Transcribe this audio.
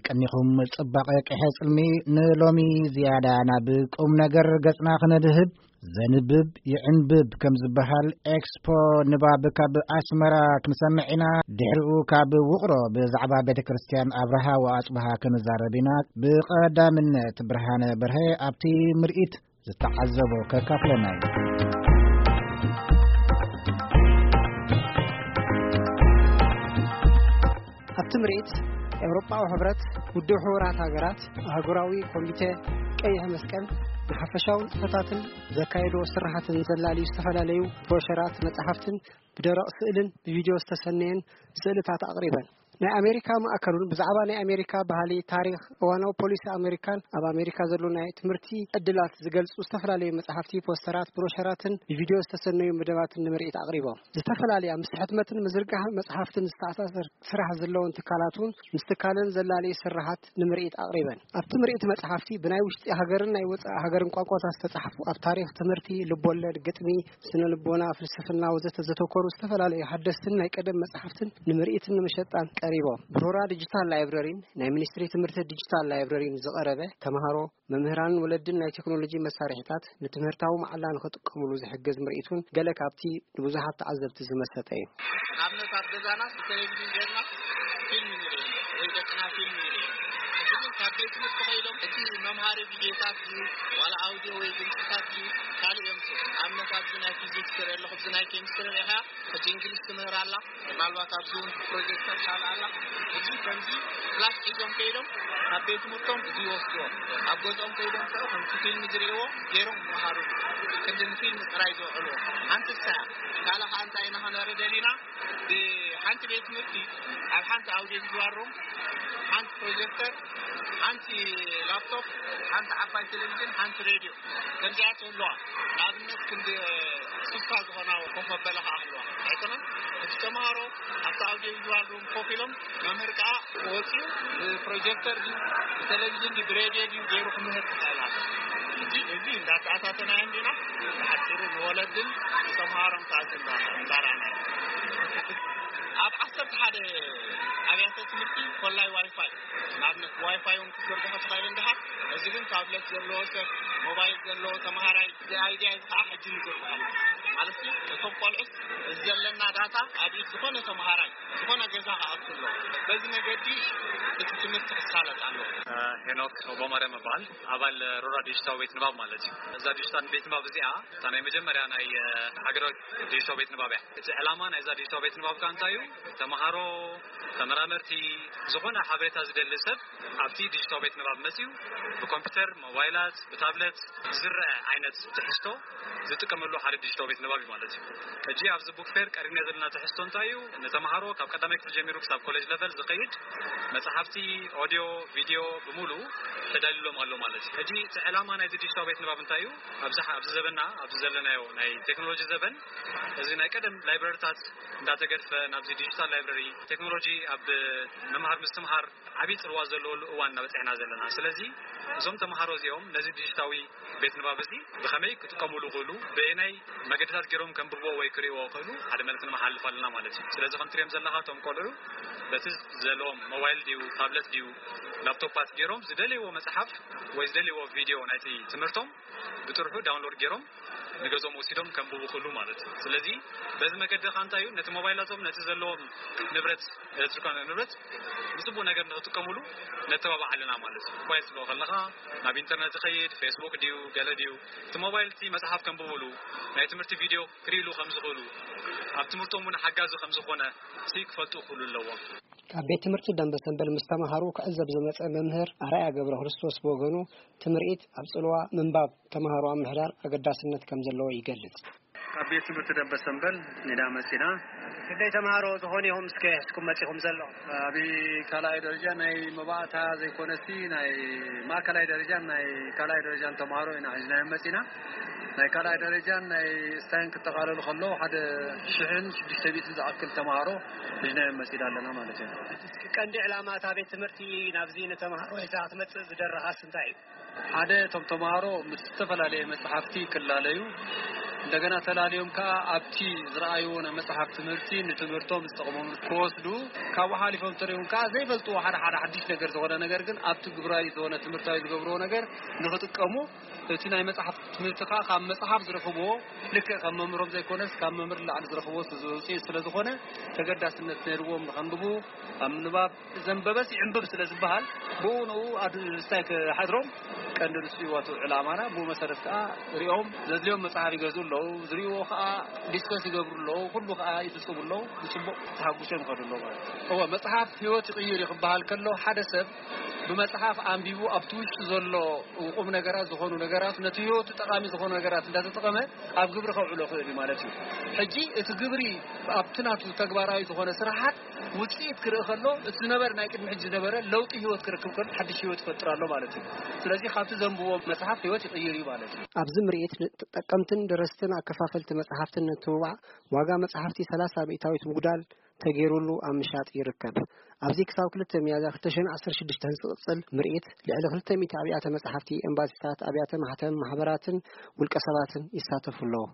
ቀኒኹም ጽባቐ ቅሐ ጽልሚ። ንሎሚ ዝያዳ ናብ ቁም ነገር ገጽና ክነድህብ፣ ዘንብብ ይዕንብብ ከም ዝበሃል፣ ኤክስፖ ንባብ ካብ ኣስመራ ክንሰምዕ ኢና። ድሕሪኡ ካብ ውቕሮ ብዛዕባ ቤተ ክርስቲያን ኣብርሃ ወኣጽብሃ ክንዛረብ ኢና። ብቐዳምነት ብርሃነ በርሀ ኣብቲ ምርኢት ዝተዓዘቦ ከካፍለና እዩ። ኣብቲ ምርኢት፣ ኤውሮጳዊ ሕብረት፣ ውድብ ሕቡራት ሃገራት፣ ኣህጉራዊ ኮሚቴ ቀይሕ መስቀል፣ ንሓፈሻዊ ንጥፈታትን ዘካየድዎ ስራሓትን ዘላልዩ ዝተፈላለዩ ብሮሸራት፣ መጻሕፍትን ብደረቕ ስእልን ብቪድዮ ዝተሰነየን ስእልታት ኣቕሪበን። ናይ ኣሜሪካ ማእከሉን ብዛዕባ ናይ ኣሜሪካ ባህሊ፣ ታሪኽ፣ እዋናዊ ፖሊሲ ኣሜሪካን ኣብ ኣሜሪካ ዘሎ ናይ ትምህርቲ ዕድላት ዝገልጹ ዝተፈላለዩ መጻሕፍቲ፣ ፖስተራት፣ ብሮሸራትን ብቪድዮ ዝተሰነዩ መደባትን ንምርኢት ኣቕሪቦም። ዝተፈላለያ ምስ ሕትመትን ምዝርጋሕ መጽሓፍትን ዝተኣሳሰር ስራሕ ዘለዎን ትካላት እውን ምስ ትካለን ዘላለዩ ስራሓት ንምርኢት ኣቕሪበን። ኣብቲ ምርኢት መጽሓፍቲ ብናይ ውሽጢ ሃገርን ናይ ወጻኢ ሃገርን ቋንቋታት ዝተጻሕፉ፣ ኣብ ታሪኽ፣ ትምህርቲ፣ ልቦለድ፣ ግጥሚ፣ ስነ ልቦና፣ ፍልስፍና ወዘተ ዘተኮሩ ዝተፈላለዩ ሓደስትን ናይ ቀደም መጽሓፍትን ንምርኢትን ንመሸጣን ቀሪቦም። ብሮራ ዲጂታል ላይብረሪን ናይ ሚኒስትሪ ትምህርቲ ዲጂታል ላይብረሪን ዝቐረበ፣ ተምሃሮ፣ መምህራንን ወለድን ናይ ቴክኖሎጂ መሳርሒታት ንትምህርታዊ መዓላ ንኽጥቀሙሉ ዝሕግዝ ምርኢት እውን ገለ ካብቲ ንብዙሓት ተዓዘብቲ ዝመሰጠ እዩ። ንኣብነት ኣብ ገዛና ብቴሌቪዥን ጌርና ፊልም ንርኢ፣ ወይ ደቅና ፊልም ንርኢ። ሕጂ ግን ካብ ቤት ትምህርቲ ከይዶም እቲ መምሃሪ ቪድዮታት ድዩ ዋላ ኣውዲዮ ወይ ድምፅታት ድዩ ካልእ እዮም። ንኣብነት ኣብዚ ናይ ፊዚክስ ትርኢ ኣለኹ፣ ኣብዚ ናይ ኬሚስትሪ ርኢኻ፣ ሕጂ እንግሊዝ ትምህር ኣላ፣ ምናልባት ኣብዚ እውን ፕሮጀክተር ካልእ ኣላ። እዚ ከምዚ ክላስ ሒዞም ከይዶም ካብ ቤት ትምህርቶም እዚ ይወስድዎ፣ ኣብ ገዝኦም ከይዶም ከ ከምቲ ፊልም ዝርእይዎ ገይሮም ይመሃሩ። ክንዲ ንፊልም ጥራይ ዘውዕልዎ ሓንቲ እሳ እያ። ካልእ ከዓ እንታይ ኢና ክንርኢ ደሊና፣ ብሓንቲ ቤት ትምህርቲ ኣብ ሓንቲ ኣውዲዮ ቪዥዋል ሩም፣ ሓንቲ ፕሮጀክተር፣ ሓንቲ ላፕቶፕ፣ ሓንቲ ዓባይ ቴሌቪዥን፣ ሓንቲ ሬድዮ፣ ከምዚኣ ትህልዋ። ንኣብነት ክንዲ ስሳ ዝኾና ኮፍ መበሊ ከዓ ኣለዋ። ኣይኮነን? እቲ ተምሃሮ ኣብቲ ኣውዲዮ ቪዥዋል ሩም ኮፍ ኢሎም፣ መምህር ከዓ ወፂኡ ብፕሮጀክተር ድዩ፣ ብቴሌቪዥን ድዩ፣ ብሬድዮ ድዩ ገይሩ ክምህር ክኽእል ኣሎ። እዚ፣ እዚ እንዳተኣታተናዮ እንዲና፣ ብሓፂሩ ንወለድን ንተምሃሮን ከዓ እዚ እንዳ-፣ እንዳርኣና። ኣብ ዓሰርተ ሓደ ኣብያተ ትምህርቲ ኮላይ ዋይፋይ፣ ንኣብነት ዋይፋይ እውን ክትዝርግሖ ትኽእል እንዲኻ። እዚ ግን ታብለት ዘለዎ ሰብ፣ ሞባይል ዘለዎ ተምሃራይ፣ እዚ ኣይድያ እዚ ከዓ ሕጂ ንዝርግሖ ማለት እዩ። እቶም ቆልዑት እዚ ዘለና ዳታ ኣብ ኢድ ዝኾነ ተምሃራይ፣ ዝኾነ ገዛ ክኣቱ ኣለዎ። በዚ መገዲ እቲ ትምህርቲ ክሳለጥ ኣለዎ። ሄኖክ ኦቦማርያም እበሃል። ኣባል ሮራ ዲጂታል ቤት ንባብ ማለት እዩ። እዛ ዲጂታል ቤት ንባብ እዚኣ እታ ናይ መጀመርያ ናይ፣ እ፣ ሃገራዊ ዲጂታል ቤት ንባብ እያ። እቲ ዕላማ ናይዛ ዲጂታል ቤት ንባብ ከኣ እንታይ እዩ? ተምሃሮ፣ ተመራመርቲ፣ ዝኾነ ሓበሬታ ዝደሊ ሰብ ኣብቲ ዲጂታል ቤት ንባብ መጺኡ ብኮምፒውተር፣ ሞባይላት፣ ብታብለት ዝረአ ዓይነት ትሕዝቶ ዝጥቀመሉ ሓደ ዲጂታል ቤት ንባብ እዩ ማለት እዩ። ሕጂ ኣብዚ ቡክ ፌር ቀሪብና ዘለና ትሕዝቶ እንታይ እዩ? ንተምሃሮ ካብ ቀዳማይ ክፍሊ ጀሚሩ ክሳብ ኮሌጅ ለቨል ዝኸይድ መጽሓፍቲ፣ ኦድዮ፣ ቪድዮ ብምሉኡ ተዳልዩሎም ኣሎ ማለት እዩ። ሕጂ እቲ ዕላማ ናይዚ ዲጂታል ቤት ንባብ እንታይ እዩ? ኣብዚ፣ ኣብዚ ዘበንና፣ ኣብዚ ዘለናዮ ናይ ቴክኖሎጂ ዘበን፣ እዚ ናይ ቀደም ላይብረሪታት እንዳተገድፈ ናብዚ ዲጂታል ላይብረሪ፣ ቴክኖሎጂ ኣብ ምምሃር ምስትምሃር ዓብዪ ጽልዋ ዘለዎሉ እዋን እናበጽሕና ዘለና። ስለዚ እዞም ተምሃሮ እዚኦም ነዚ ዲጂታዊ ቤት ንባብ እዚ ብኸመይ ክጥቀሙሉ ይኽእሉ፣ በየናይ መገድታት ገይሮም ከንብብዎ ወይ ክርእይዎ ይኽእሉ፣ ሓደ መልእኽቲ ንመሓልፍ ኣለና ማለት እዩ። ስለዚ ከም ትሪኦም ዘለኻ እቶም ቆልዑ በቲ ዘለዎም ሞባይል ድዩ፣ ታብለት ድዩ፣ ላፕቶፓት ገይሮም ዝደልይዎ መጽሓፍ ወይ ዝደልይዎ ቪድዮ ናይቲ ትምህርቶም ብጥርሑ ዳውንሎድ ገይሮም ንገዝኦም ወሲዶም ከንብቡ ይኽእሉ ማለት እዩ። ስለዚ በዚ መገዲ ኸኣ እንታይ እዩ፣ ነቲ ሞባይላቶም፣ ነቲ ዘለዎም ንብረት፣ ኤሌክትሪካዊ ንብረት ብጽቡቕ ነገር ንኽጥቀሙሉ ነተባብዕ ኣለና ማለት እዩ። ሞባይል ትብሎ ከለኻ ናብ ኢንተርነት ይኸይድ፣ ፌስቡክ ድዩ፣ ገለ ድዩ፣ እቲ ሞባይል እቲ መጽሓፍ ከንብቡሉ፣ ናይ ትምህርቲ ቪድዮ ክርእይሉ ከም ዝኽእሉ፣ ኣብ ትምህርቶም እውን ሓጋዚ ከም ዝኾነ ሲ ክፈልጡ ክኽእሉ ኣለዎም። ካብ ቤት ትምህርቲ ደንበ ሰንበል ምስ ተምሃሩ ክዕዘብ ዝመጸ መምህር ኣርኣያ ገብረ ክርስቶስ ብወገኑ፣ እቲ ምርኢት ኣብ ጽልዋ ምንባብ ተምሃሮ ኣብ ምሕዳር ኣገዳስነት ከም ዘለዎ ይገልጽ። ካብ ቤት ትምህርቲ ደንበ ሰንበል ኢና መጺና። ክንደይ ተምሃሮ ዝኾኑ ኢኹም እስከ ሒዝኩም መጺኹም ዘለኹም? ኣብ ካልኣይ ደረጃ ናይ መባእታ ዘይኮነሲ ናይ ማእከላይ ደረጃን ናይ ካልኣይ ደረጃን ተምሃሮ ኢና ሒዝናዮም መጺና። ናይ ካልኣይ ደረጃን ናይ ስታይን ክጠቓለሉ ከለዉ ሓደ ሽሕን ሽዱሽተ ሚእትን ዝኣክል ተምሃሮ ሒዝናዮም መጺና ኣለና ማለት እዩ። እስኪ ቀንዲ ዕላማ እታ ቤት ትምህርቲ ናብዚ ንተምሃሮ ሒዛ ክትመጽእ ዝደረኻስ እንታይ እዩ? ሓደ፣ እቶም ተምሃሮ ምስ ዝተፈላለየ መጽሓፍቲ ክላለዩ፣ እንደገና ተላልዮም ከዓ ኣብቲ ዝረኣይዎ ናይ መጽሓፍ ትምህርቲ ንትምህርቶም ዝጠቕሞም ክወስዱ፣ ካብኡ ሓሊፎም ተሪኦም ከዓ ዘይፈልጥዎ ሓደ ሓደ ሓድሽ ነገር ዝኾነ ነገር ግን ኣብቲ ግብራዊ ዝኾነ ትምህርታዊ ዝገብርዎ ነገር ንኽጥቀሙ፣ እቲ ናይ መጽሓፍ ትምህርቲ ከዓ ካብ መጽሓፍ ዝረኽብዎ ልክዕ ካብ መምህሮም ዘይኮነስ ካብ መምህር ላዕሊ ዝረኽብዎ ውፅኢት ስለ ዝኾነ ተገዳስነት ነይርዎም ንኸንብቡ ኣብ ንባብ ዘንበበስ ይዕንብብ ስለ ዝበሃል ብኡ ንኡ ኣድስታይ ክሓድሮም ቀንዲ ንሱ ይወቱ ዕላማና ብኡ መሰረት ከዓ ሪኦም ዘድልዮም መጽሓፍ ይገዝኡ ኣለዉ ዝሪእዎ ከዓ ዲስከስ ይገብሩ ኣለዉ ኩሉ ከዓ ይፍጽሙ ኣለዉ ብፅቡቅ ተሓጉሶም ይኸዱ ኣለዉ ማለት እዩ። እወ መጽሓፍ ህይወት ይቕይር እዩ ክበሃል ከሎ ሓደ ሰብ ብመጽሓፍ ኣንቢቡ ኣብቲ ውሽጡ ዘሎ ቁም ነገራት ዝኾኑ ነገራት ነቲ ህይወቱ ጠቓሚ ዝኾኑ ነገራት እንዳተጠቐመ ኣብ ግብሪ ከውዕሎ ክእል እዩ ማለት እዩ። ሕጂ እቲ ግብሪ ኣብቲ ናቱ ተግባራዊ ዝኾነ ስራሓት ውፅኢት ክርኢ ከሎ እቲ ዝነበረ ናይ ቅድሚ ሕጂ ዝነበረ ለውጢ ህይወት ክረክብ ከሎ ሓድሽ ህይወት ይፈጥር ኣሎ ማለት እዩ። ስለዚ ካብቲ ዘንብቦ መፅሓፍ ህይወት ይቕይር እዩ ማለት እዩ። ኣብዚ ምርኢት ንተጠቀምትን ደረስትን ኣከፋፈልቲ መፅሓፍትን ንትብባዕ ዋጋ መፅሓፍቲ ሰላሳ ሚእታዊት ምጉዳል ተገይሩሉ ኣብ ምሻጥ ይርከብ። ኣብዚ ክሳብ ክልተ ሚያዝያ ክልተ ሽሕን ዓሰርተ ሽዱሽተን ዝቕፅል ምርኢት ልዕሊ ክልተ ሚእቲ ኣብያተ መፅሓፍቲ፣ ኤምባሲታት፣ ኣብያተ ማሕተም፣ ማሕበራትን ውልቀ ሰባትን ይሳተፉ ኣለዉ።